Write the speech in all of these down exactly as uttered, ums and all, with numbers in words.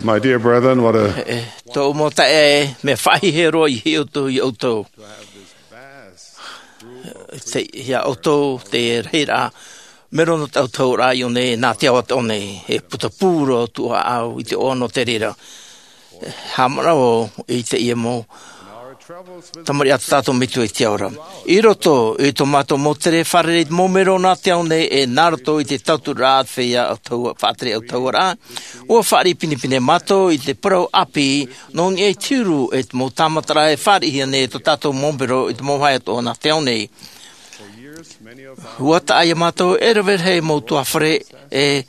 My dear brethren, what a E, tōʻu mau taeaʻe, mea faʻahiahia roa i hiʻo atu iā ʻoutou. Te, iā ʻoutou, te rahiraʻa, mero nō te autahuʻaraʻa i ʻō nei, nā te ao atoʻa nei, e putapū roa tōʻu ʻāʻau i te ʻoaʻoa nō te reira. Haʻamanaʻo i teie mau tamariʻi a tō tātou Metua i te ao ra. I roto i tō mātou mau tere fārerei mau mero nā te ao nei, e nā roto i te tauturu a te feiā autahu-, faʻatere autahuʻaraʻa, ʻua fāriʻi pinepine mātou i te parau ʻāpī, nō niʻa i te huru e te mau tāmataraʻa e fāriʻihia nei e tō tātou mau mero i te mau vāhi atoʻa nā te ao nei. ʻUa taʻa iā mātou e rave rahi mau tuahine e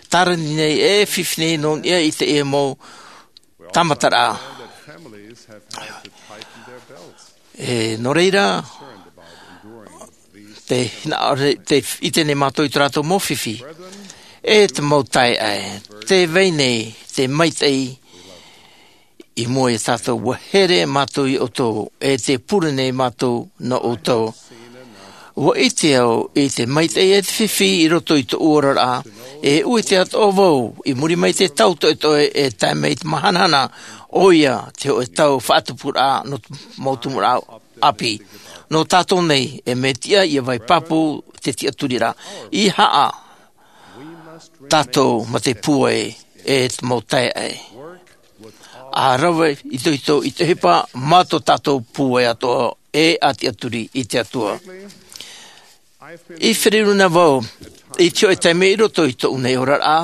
tārani nei, e fifi nei nō niʻa i teie mau tāmataraʻa. E, nō reira, te hinaʻaro, te ʻite nei mātou i tō rātou mau fifi. E te mau taeaʻe, tē vai nei te maitaʻi i mua iā tātou, ʻua here mātou iā ʻoutou, e tē pure nei mātou nō ʻoutou. ʻUa ʻite au i te maitaʻi e te fifi i roto i tōʻu oraraʻa, e ʻuʻite atoʻa vau, i muri mai te tau toʻetoʻe e tae mai te mahanahana, ʻoia te hōʻē tau faʻatupuraʻa nō te mau tumu rā ʻāpī. Nō tātou nei, e mea tiʻa ʻia vai pāpū te tiʻaturiraʻa. ʻEiaha tātou mā te pūai e te mau taeaʻe. ʻA rave itoito i te ʻohipa mā tō tātou pūai atoʻa e ʻa tiʻaturi i te Atua. I feruri na vau i te hōʻē taime i roto i tōʻu nei oraraʻa,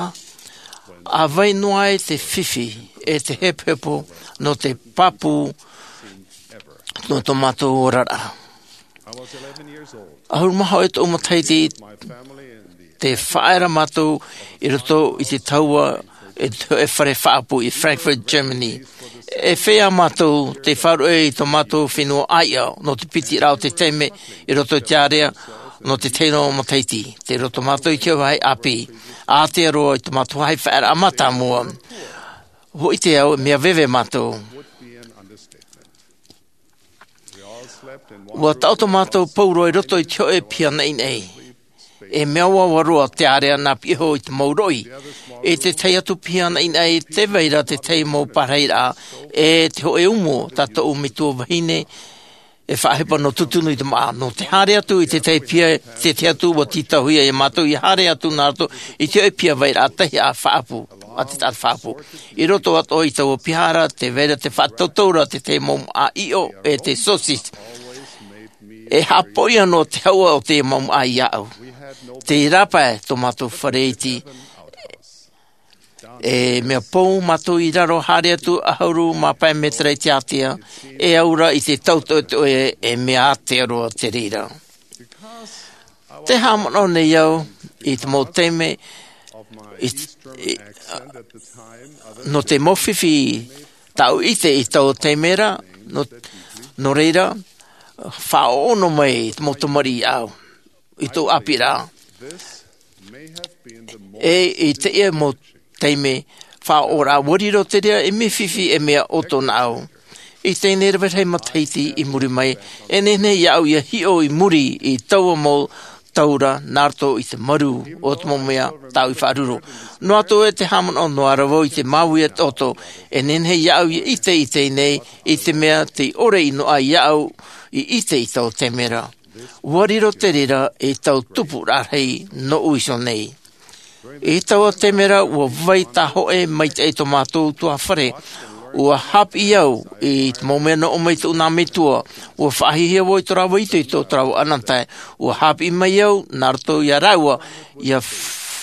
ʻa vai noa ai te fifi e te hepohepo nō te pāpū nō tō mātou oraraʻa. ʻAhuru mā hōʻē tōʻu matahiti, tē faʻaea ra mātou i roto i te tahua e te hōʻē fare faʻaʻapu i Frankfurt, Germany. E feiā mātou tei faʻaruʻe i tō mātou fenua ʻāiʻa nō te piti raʻa o te taime i roto i te ārea nō te tahi noa matahiti. Tei roto mātou i te vāhi ʻāpī, ʻātea roa i tō mātou vāhi faʻaearaʻa mātāmua. ʻUa ʻite au, mea veve mātou. ʻUa taʻoto mātou pauroa i roto i te hōʻē piha naʻinaʻi. E mea ʻoaʻoa roa te ārea nā piʻi iho i te mau roʻi. I te tahi atu piha naʻinaʻi, tē vai ra te tahi mau parahiraʻa, e te hōʻē umu tā tōʻu metua vahine, e faʻaʻohipa nō tūtunu i te māʻa. Nō te haere atu i te tahi piha, te tahi atu ʻua tītauhia iā mātou ʻia haere atu nā roto i te hōʻē piha vairaʻa tahi ʻa faʻaʻapu, ʻa te taʻata faʻaʻapu. I roto atoʻa i taua piha ra, tē vai ra te faʻatautau ra te tahi mau māʻa ʻiʻo, e te saucisse. E haʻapoʻi noa te hauʻa o te mau māʻa iāʻu. Tei rāpae tō mātou fare iti. E mea pou mātou i raro, haere atu ʻahuru mā pae mētera i te ātea, e aura i te tau toʻetoʻe, e mea ātea roa te reira. Tē haʻamanaʻo nei au i te mau taime, i, i, nō te mau fifi tāʻu ʻite i taua taime ra, nō, nō reira, faʻaʻono mai te mau tamariʻi iāʻu i tōʻu ʻāpīraʻa. E i teie mau taime faʻaʻoraʻa, ʻua riro te reira ei mea fifi, ei mea ʻoto nāʻu. I teie nei rave rahi matahiti i muri mai, e nehenehe iāʻu ʻia hiʻo i muri i taua mau tau ra, nā roto i te marū o te mau mea tāʻu i faʻaruru. Noa atu ē tē haʻamanaʻo noa ra vau i te māuiui atoʻa, e nehenehe iāʻu ʻia ʻite i teie nei, i te mea tei ʻore i noaʻa iāʻu i ʻite i taua taime ra. ʻUa riro te reira ei tau tupuraʻa rahi nōʻu iho nei. I taua taime ra, ʻua vai tāhōʻē maitaʻi tō mātou tuahine. ʻUa haʻapiʻi au i te mau mea nō ʻō mai tōʻu nā metua. ʻUa faʻahiahia vau i tō rāua itoito, tō rāua ʻānānahi. ʻUa haʻapiʻi mai au nā roto iā rāua, ʻia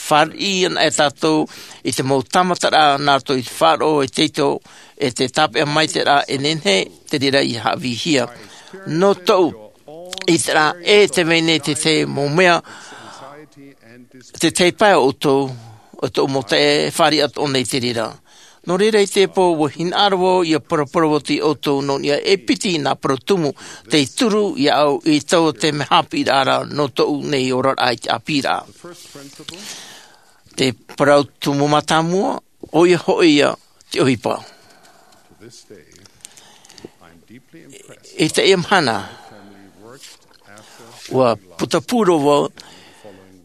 fāriʻi ana e tātou i te mau tāmataraʻa nā roto i te faʻaroʻo e te itoito, e te tāpeʻa maitaʻiraʻa, e nehenehe te reira ʻia haʻavīhia. Nō tōʻu ʻiteraʻa, e tē vai nei te tahi mau mea, te tahi pae o ʻoutou, o tōʻu mau taeaʻe, e fāriʻi atoʻa nei te reira. Nō reira i teie pō, ʻua hinaʻaro vau ʻia paraparau atu iā ʻoutou nō niʻa e piti nā parau tumu tei turu iāʻu i taua taime haʻapiʻiraʻa ra nō tōʻu nei oraraʻa i te ʻāpīraʻa. Te parau tumu mātāmua, ʻoia hoʻi ia te ʻohipa. I teie mahana, ʻua putapū roa vau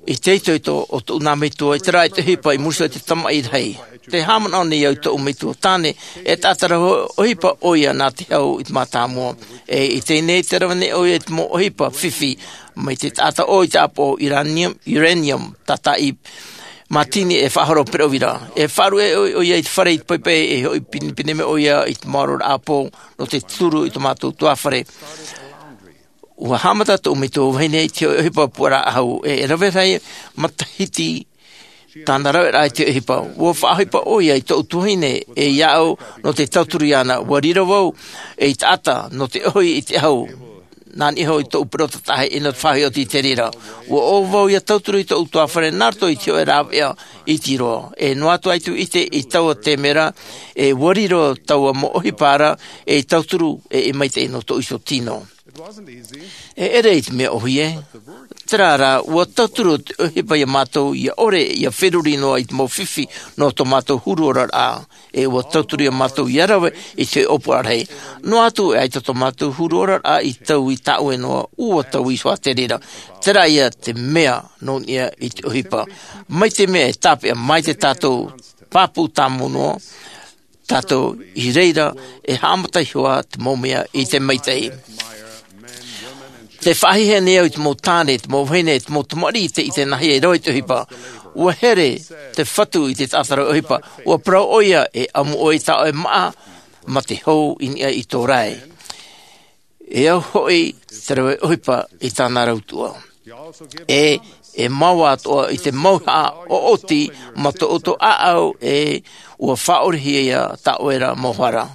i te itoito o tōʻu nā metua i terā ʻohipa i muri iho i te tamaʻi rahi. Te haʻamanaʻo nei au i tōʻu metua tāne, e taʻata rau ʻohipa ʻoia nā te hau i te mātāmua. E i teie nei te rave nei ʻoia i te mau ʻohipa fifi, mai te taʻata ʻō i te ʻāpoʻo uranium, uranium, tātaʻi mātini e faʻahoro pereʻoʻo ra. E faʻaruʻe ʻoia i te fare i te paepae e hoʻi pinepine mai ʻoia i te maoro ra ʻāpō, nō te turu i tō mātou tuāfare. Ua haʻamata tōʻu metua vahine i te hōʻē ʻohipa puaraʻa ʻahu, e, e rave rahi matahiti tāna raveraʻa i te ʻohipa. Ua faʻaʻohipa ʻoia i tōʻu tuahine, e iāʻu nō te tauturu iāna. Ua riro vau ei taʻata nō te ʻohi i te ʻahu. Nā niʻa iho i tōʻu perota tahi e nō te faʻaʻohipa i te reira. Ua ʻō vau ʻia tauturu i tōʻu tuāfare nā roto i te hōʻē rāveʻa iti roa. E noa atu ʻaita e ʻite i taua taime ra, e ua riro taua mau ʻohipa ra, e tauturu e, e maitaʻi nō tōʻu iho tino. E ʻere i te mea ʻōhie, terā rā, ua tauturu te ʻohipa iā mātou ʻia ʻore ʻia feruri noa i te mau fifi nō tō mātou huru oraraʻa. E ua tauturu iā mātou ʻia rave i te ʻōpuaraʻa rahi. Noa atu e ʻaita tō mātou huru oraraʻa i taui tāʻue noa, ua taui iho ā te reira. Terā ia te mea nō niʻa i te ʻohipa. Mai te mea e tāpeʻa mai te tātou pāpū tāmau noa, tātou i reira e haʻamata iho ā te mau mea i te maitaʻi. Te faʻahiahia nei au i te mau tāne, te mau vahine, te mau tamariʻi i te, i te nāhea i rave i te ʻohipa. Ua here te Fatu i te taʻata rave ʻohipa. Ua parau ʻoia, e ʻamu ʻoe i tā ʻoe māʻa, mā te hou i niʻa i tō rae. E au hoʻi te rave ʻohipa i tāna rautuʻa. E, e mau atoʻa i te mauhaʻa ʻoʻoti mā tō ʻoutou ʻāʻau, e ua faʻaʻorehia tā ʻoe ra mau hara.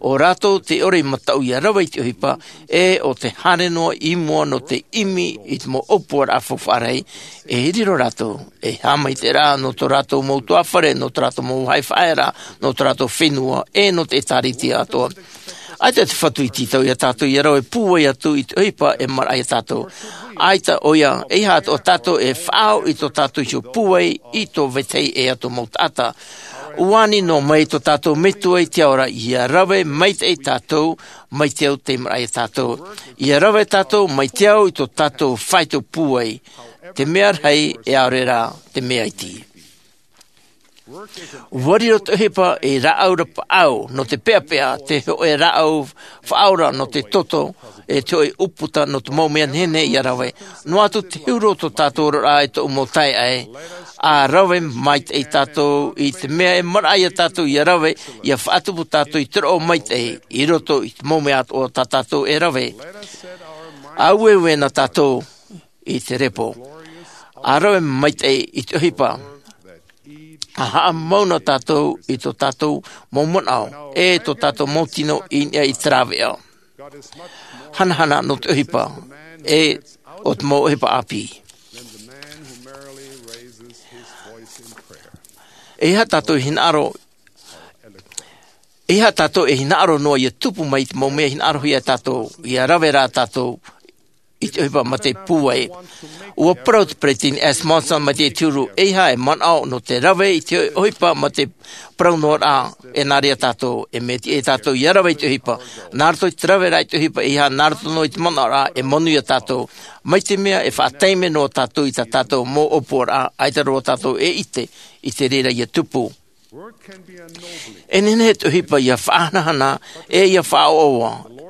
ʻO rātou tē ʻore i mataʻu ʻia rave i te ʻohipa, e ʻo tē haere noa i mua nō te ʻimi i te mau ʻōpuaraʻa faufaʻa rahi, e riro rātou ei haʻamaitaʻiraʻa nō tō rātou mau tuāfare, nō tō rātou mau vāhi faʻaearaʻa, nō tō rātou fenua, e nō te ʻĒtārētia atoʻa. ʻAita te Fatu i tītau iā tātou ʻia rave pūai atu i te ʻohipa e maraʻa iā tātou. ʻAita ʻoia, ʻeiaha atoʻa tātou e faʻaau i tō tātou iho pūai i tō vetahi ʻē atu mau taʻata. ʻUa ani noa mai tō tātou Metua i te ao ra ʻia rave maitaʻi tātou mai te au tei maraʻa iā tātou. ʻIa rave tātou mai te ao i tō tātou faito pūai. Te mea rahi e ʻaore rā te mea iti. Ua riro te ʻohipa ei rāʻau rapaʻau nō te peʻapeʻa, te hōʻē rāʻau faʻaora nō te toto, e te hōʻē ʻūputa nō te mau mea nehenehe ʻia rave. Noa atu te huru o tō tātou oraraʻa e tōʻu mau taeaʻe, ʻa rave maitaʻi tātou i te mea e maraʻa iā tātou ʻia rave, ʻia faʻatupu tātou i te roʻo maitaʻi, i roto i te mau mea atoʻa tā tātou e rave. ʻA ueue na tātou i te repo. ʻA rave maitaʻi i te ʻohipa. ʻA haʻamau na tātou i tō tātou mau manaʻo, e tō tātou mau tino i niʻa i te rāveʻa. Hanahana nō te ʻohipa, e ʻo te mau ʻohipa ʻāpī. ʻEiaha tātou e hinaʻaro, ʻeiaha tātou e hinaʻaro noa ʻia tupu mai i te mau mea hinaʻarohia e tātou, ʻia rave rā tātou i te ʻohipa mā te pūai. ʻUa parau te Peresideni Thomas S. Monson mai te huru, ʻeiaha e manaʻo nō te rave i te ʻohipa mā te parau noa rā, e nā reira tātou, e mea tiʻa iā tātou ʻia rave i te ʻohipa. Nā roto i te rave rā i te ʻohipa, ʻeiaha nā roto noa i te manaʻo rā, e manuia tātou. Mai te mea e faʻataime noa tātou i tā tātou mau ʻōpuaraʻa, ʻaita roa tātou e ʻite i te reira ʻia tupu. E nehenehe te ʻohipa ʻia faʻahanahana, e ʻia faʻaʻoaʻoa.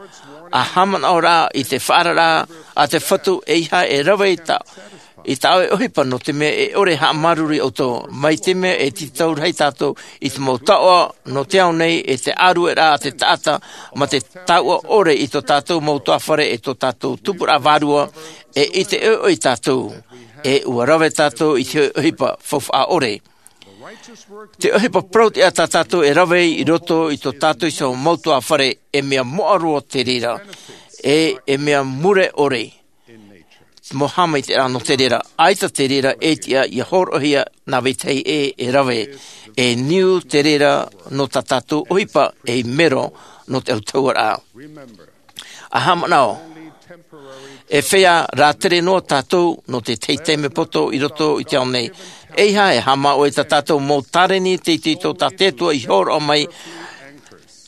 ʻA haʻamanaʻo rā i te faʻaararaʻa a te Fatu, ʻeiaha e rave i tā, i tā ʻoe ʻohipa nō te mea e ʻore e haʻamāuruuru iā ʻoutou. Mai te mea e tītau rahi tātou i te mau taoʻa nō te ao nei, e te ʻārueraʻa a te taʻata, mā te taoʻa ʻore i tō tātou mau tuāfare, e tō tātou tupuraʻa vārua, e ʻite ʻoiʻoi tātou, e ʻua rave tātou i te ʻohipa faufaʻa ʻore. Te ʻohipa parau-tiʻa tā tātou e rave i roto i tō tātou iho mau tuāfare, e mea moʻa roa te reira, e, e mea mure ʻore. Te mau haʻamaitaʻiraʻa nō te reira, ʻaita te reira e tiʻa ʻia hōroʻahia nā vetahi ʻē e rave, e niu te reira nō tā tātou ʻohipa ei mero nō te autahuʻaraʻa. ʻA haʻamanaʻo, e feiā rātere noa tātou nō te tahi taime poto i roto i te ao nei. ʻEiaha e haʻamā ʻoe i tā tātou mau tāreni teitei tā te Atua i hōroʻa mai,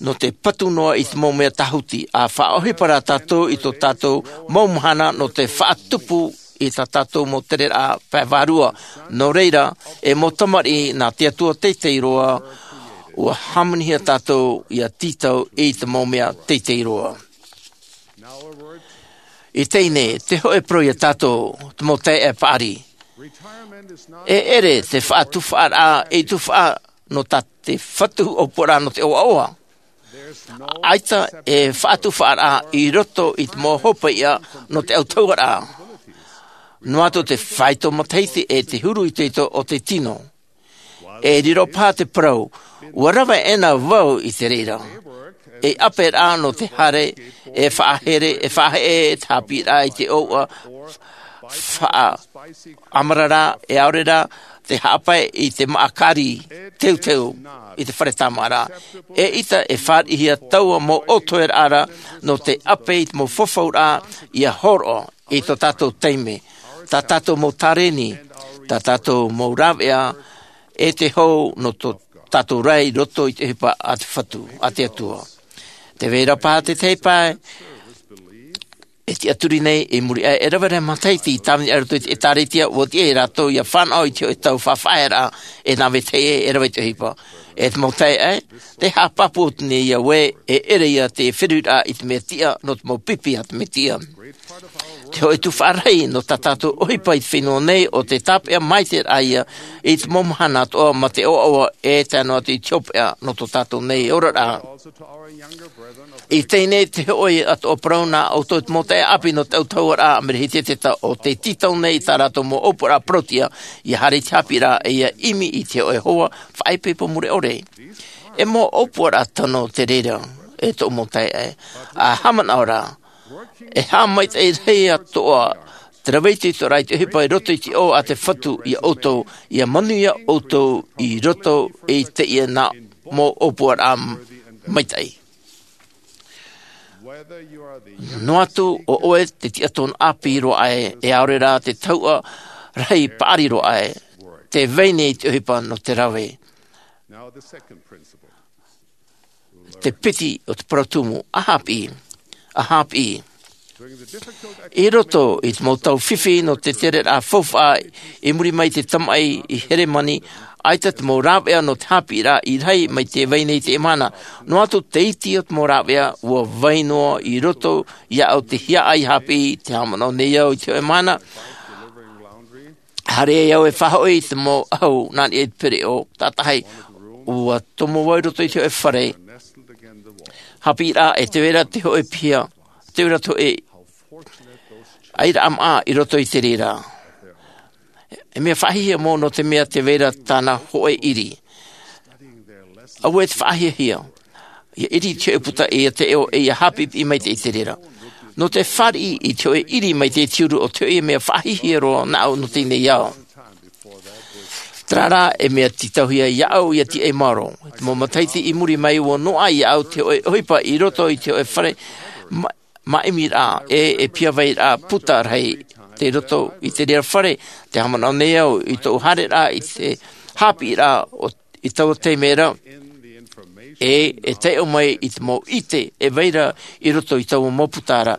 nō te patu noa i te mau mea tāhuti, ʻa faʻaʻohipa rā tātou i tō tātou mau mahana nō te faʻatupu i tā tātou mau tereraʻa pae vārua. Nō reira, e mau tamariʻi nā te Atua teitei roa, ua hāmanihia tātou ia tītau i te mau mea teitei roa. I teie nei, te hōʻē parau ia tātou, te mau taeaʻe paʻari. E ʻere te faʻatufaʻaraʻa ei tufaʻa nō tā te Fatu ʻōpuaraʻa nō te ʻoaʻoa. ʻAita e faʻatufaʻaraʻa i roto i te mau hopeʻa nō te autahuʻaraʻa. Noa atu te faito matahiti e te huru itoito o te tino. E riro paha te parau, ua rave ʻena vau i te reira. E ʻape rā nō te haere, e faʻahere, e faʻaheʻe te hāpiʻiraʻa i te ʻōuʻa, faʻaʻamarara, e ʻaore rā te haʻapae i te māʻakari teuteu i te fare tāmāʻaraʻa. E ʻita e fāriʻihia taua mau ʻōtoeraʻa ra nō te ʻape i te mau fafauraʻa ia hōroʻa i tō tātou taime, tā tātou mau tārēni, tā tātou mau rāveʻa, e te hou nō tō tātou ra i roto i te ʻohipa a te Fatu, a te Atua. Te vai ra paha te tahi pae, e tiʻaturi nei, i muri aʻe e rave rahi matahiti i tāvini aʻe roto i te ʻĒtārētia, ua tiʻa ia rātou ia fānaʻo i te hōʻē tau faʻafaʻaearaʻa, e nā vetahi ē e rave i te ʻohipa. E te mau taeaʻe, te haʻapāpū atu nei ia ē, e ʻere ia te feruriraʻa i te mea tiʻa nō te mau pipi a te Mesia. Te hōʻē tufaʻa rahi nō tā tātou ʻohipa i te fenua nei ʻo te tāpeʻa maitaʻi ia i te mau mahana atoʻa mā te ʻoaʻoa e tae noa atu i te hopeʻa nō tō tātou nei oraraʻa. I teie nei te hōʻē atoʻa parau nā ʻoutou te mau taeaʻe ʻāpī nō te autahuʻaraʻa Amerika Hiʻiteteta ʻo tē tītau nei i tā rātou mau ʻōpuaraʻa parauʻtiʻa ia haere i te hāpiʻiraʻa e ia ʻimi i te hōʻē hoa faʻaipoipo mure ʻore. E mau ʻōpuaraʻa tano te reira, e tōʻu mau taeaʻe, ʻa haʻamanaʻo ra, e haʻamaitaʻi rahi atoʻa te rave itoitoraʻa i te ʻohipa i roto i te ʻō a te Fatu ia ʻoutou, ia manuia ʻoutou i roto i teie nā mau ʻōpuaraʻa maitaʻi. Noa atu ʻo ʻoe te tiʻatōna ʻāpī roa ʻē, e ʻaore rā te tahuʻa rahi paʻari roa ʻē, tē vai nei te ʻohipa nō te rave. Te piti o te parau tumu, ʻa hāpiʻi, ʻa hāpiʻi. I roto i te mau tau fifi nō te tereraʻa faufaʻa i muri mai i te tamaʻi i Heremani, ʻaita te mau rāveʻa nō te hāpiʻiraʻa i rahi mai tē vai nei i teie mahana. Noa atu te iti o te mau rāveʻa, ua vai noa i roto iāʻu te hiaʻai hāpiʻi, tē haʻamanaʻo nei au i te hōʻē mahana, haere ai au e faʻahoʻi i te mau ʻahu nā niʻa i te pereʻoʻo, tātahi, ua tomo vau i roto i te hōʻē fare hāpiʻiraʻa, e tē vai ra te hōʻē piha, tē vai ra te hōʻē ʻairaʻa maʻa i roto i te reira. E mea faʻahiahia mau nō te mea tē vai ra tāna hōʻē ʻiri. ʻAuē te faʻahiahia. Ia ʻiri i te hōʻē puta e ia taiʻo e ia hāpiʻipiʻi maitaʻi i te reira. Nō te fāriʻi i te hōʻē ʻiri maitaʻi i te huru, ʻo te hōʻē mea faʻahiahia roa nāʻu nō teie nei ao. Terā rā, e mea tītauhia iāʻu ia tiʻa i maoro. Te mau matahiti i muri mai, ua noaʻa iāʻu te hōʻē ʻohipa i roto i te hōʻē fare ma-, māʻimiraʻa, e, e piha vai ra puta rahi tei roto i te reira fare, tē haʻamanaʻo nei au i tōʻu haereraʻa i te hāpiʻiraʻa o, i taua taime ra, e, e taiʻo mai i te mau ʻite e vai ra i roto i taua mau puta ra.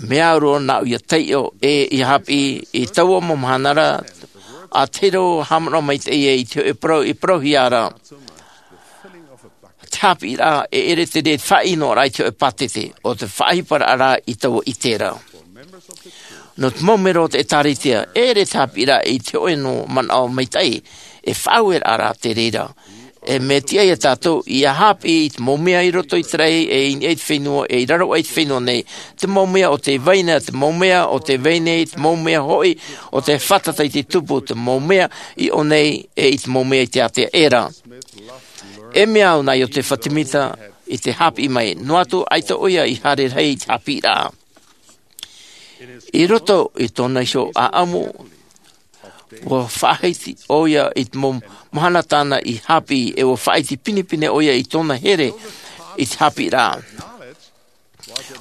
Mea au roa nāʻu ia taiʻo e ia hāpiʻi i taua mau mahana ra, ʻa tahi roa haʻamanaʻo maitaʻi i te hōʻē parau i parauhia ra. Te hāpiʻiraʻa e ʻere te reira te faʻaʻinoraʻa i te hōʻē pātete, ʻo te faʻaʻohiparaʻa rā i taua ʻite ra. Nō te mau melo o te ʻĒtārētia, e ʻere te hāpiʻiraʻa i te hōʻē noa manaʻo maitaʻi, e faʻaueraʻa rā te reira. E mea tiʻa ia tātou ia hāpiʻi i te mau mea i roto i te raʻi, e i niʻa i te fenua, e i raro aʻe i te fenua nei. Te mau mea ʻo tē vai nei, te mau mea ʻo tē vai nei, te mau mea hoʻi ʻo tē fātata i te tupu, te mau mea i ʻō nei, e i te mau mea i te ātea ʻē ra. E mea au nā Iosepha Semita i te hāpiʻi mai, noa atu ʻaita ʻoia i haere rahi i te hāpiʻiraʻa. I roto i tōna iho ʻāʻamu, ua faʻahiti ʻoia i te mau mahana tāna i hāpiʻi, e ua faʻaiti pinepine ʻoia i tōna here i te hāpiʻiraʻa.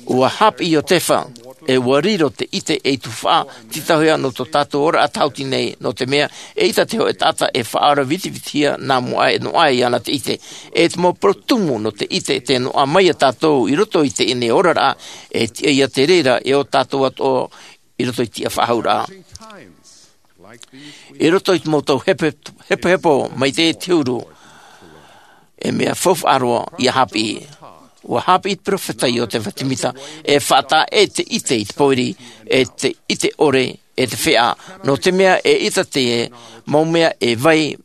Ua hāpiʻi Iosepha, e ua riro te ʻite ei tuhaʻa tītauhia nō tō tātou ora tāhuti nei, nō te mea e ʻita te hōʻē taʻata e faʻaora vitivitihia nā mua aʻe noa ai iāna te ʻite. E te mau parau tumu nō te ʻite tē noaʻa mai iā tātou i roto i teie nei oraraʻa, e tiʻa ia te reira e ō tātou atoʻa i roto i tiʻa faʻahou ra. I roto i te mau tau hepohepo mai te huru, e mea faufaʻa roa ia hāpiʻi. Ua hāpiʻi te peropheta iosepha semita e faʻataʻa te ʻite i te pōiri, e te ʻite ʻore, e te feʻa, nō te mea e ʻita te mau mea e vai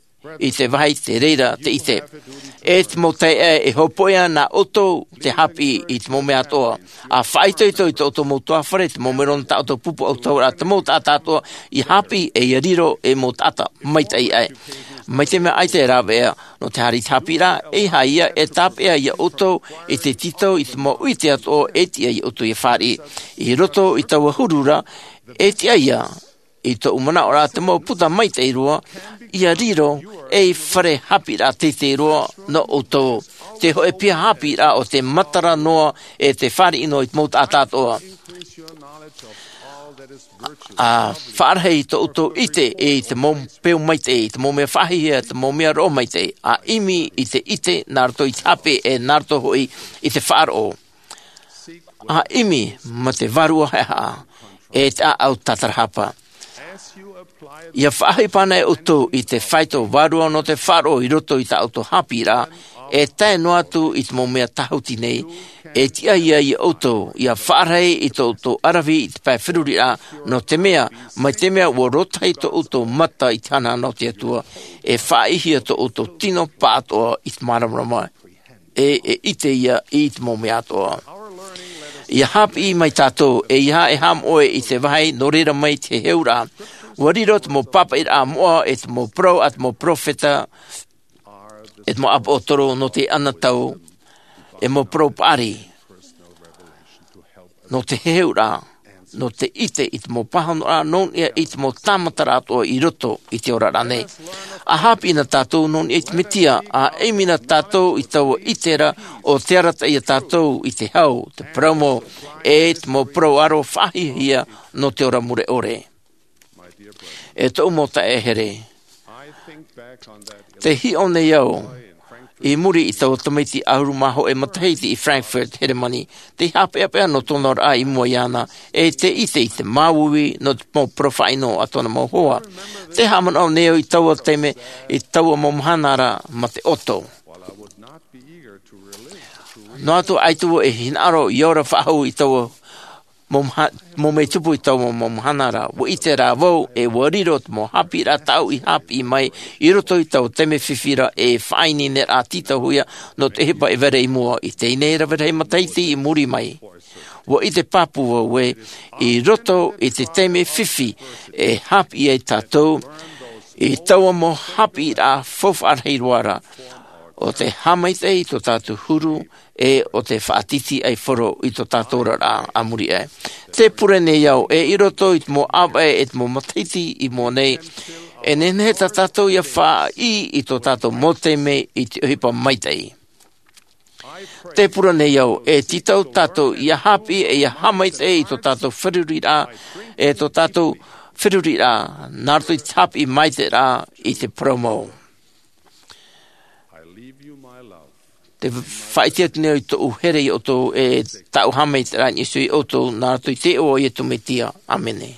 i te vāhi te reira te ʻite. E te mau taeaʻe, e hopoiʻa nā ʻoutou te hāpiʻi i te mau mea atoʻa. A faʻaitoito i tō ʻoutou mau tuahāfare, te mau mero nō tā ʻoutou pupu ʻautahuʻa, te mau taʻata atoʻa ia hāpiʻi e ia riro ei mau taʻata maitaʻi aʻe. Mai te mea ʻaita e rāveʻa nō te haere i te hāpiʻiraʻa, e haere ia e tāpeʻa iā ʻoutou i te tītau i te mau ʻite atoʻa e tiʻa iā ʻoutou ia fāriʻi. I roto i taua huru ra, e tiʻa ia i tōʻu manaʻo ra te mau puta maitaʻi roa ia riro ei fare hāpiʻiraʻa teitei roa nō ʻoutou. Te hōʻē piha hāpiʻiraʻa o te matara noa e te fāriʻi noa i te mau taʻata atoʻa. A faʻarahi tō ʻoutou ʻite i te mau peu maitaʻi, te mau mea faʻahiahia, te mau mea roʻo maitaʻi. A ʻimi i te ʻite nā roto i te hāpiʻi, e nā roto hoʻi i te faʻaroʻo. A ʻimi mā te vārua haʻehaʻa, e te ʻāʻau tātarahapa. Ia faʻaʻohipa ana ʻoutou i te faito vārua nō te faʻaroʻo i roto i tā ʻoutou hāpiʻiraʻa, e tae noa atu i te mau mea tāhuti nei, e tiʻa ia iā ʻoutou ia faʻarahi i tō ʻoutou ʻaravihi i te pae feruriraʻa, nō te mea, mai te mea ua rōtahi tō ʻoutou mata i te hanahana o te Atua, e faʻaʻitehia tō ʻoutou tino pāʻatoʻa i te māramarama, e, e ʻite ia i te mau mea atoʻa. Ia hāpiʻi mai tātou, e ia e haʻamoʻe i te vāhi nō reira mai te heheuraʻa. Ua riro te mau pāpaʻiraʻa moʻa, e te mau parau a te mau peropheta, e te mau ʻāpōsetolo nō te anotau, e mau parau paʻari nō te heheuraʻa, nō te ʻite i te mau pāhonoraʻa, nō niʻa i te mau tāmataraʻa atoʻa i roto i te oraraʻa nei. A hāpiʻi na tātou nō niʻa i te Mesia, a ʻimi na tātou i taua ʻite ra ʻo tē arataʻi ia tātou i te hau, te parau mau, e te mau parau ʻaro faʻahiahia nō te ora mure ʻore. E tōʻu mau taeaʻe here, tē hiʻo nei au i muri i taua tamaiti ʻahuru mā hōʻē matahiti i Frankfurt, Heremani, tei haʻapeʻapeʻa nō tōna oraraʻa i mua iāna, e tē ʻite i te māuiui nō te mau parau faʻaʻino a tōna mau hoa. Tē haʻamanaʻo nei au i taua taime, i taua mau mahana ra mā te ʻoto. Noa atu ʻaita vau e hinaʻaro ia ora faʻahou i taua mau maha-, mau mea tupu i taua mau mahana ra, ua ʻite rā vau, e ua riro te mau hāpiʻiraʻa tāʻu i hāpiʻi mai i roto i taua taime fifi ra, e faʻaineineraʻa tītauhia nō te ʻohipa e vai ra i mua i teie nei rave rahi matahiti i muri mai. Ua ʻite pāpū vau ē, i roto i te taime fifi e hāpiʻi ai tātou i taua mau hāpiʻiraʻa faufaʻa rahi roa ra, ʻo te haʻamaitaʻi i tō tātou huru, e ʻo te faʻatītīʻaifaro i tō tātou oraraʻa a muri aʻe. Tē pure nei au ē, i roto i te mau ʻāvaʻe e te mau matahiti i mua nei, e nehenehe tā tātou ia faʻaʻī i tō tātou mau taime i te ʻohipa maitaʻi. Tē pure nei au ē, tītau tātou ia hāpiʻi e ia haʻamaitaʻi i tō tātou feruriraʻa, e tō tātou feruriraʻa nā roto i te hāpiʻi maitaʻiraʻa i te parau mau. Te faʻaʻite atu nei au i tōʻu here iā ʻoutou, e tāʻu haʻamaitaʻiraʻa i niʻa iho ia ʻoutou, nā roto i te iʻoa o Iesu Mesia. ʻĀmene.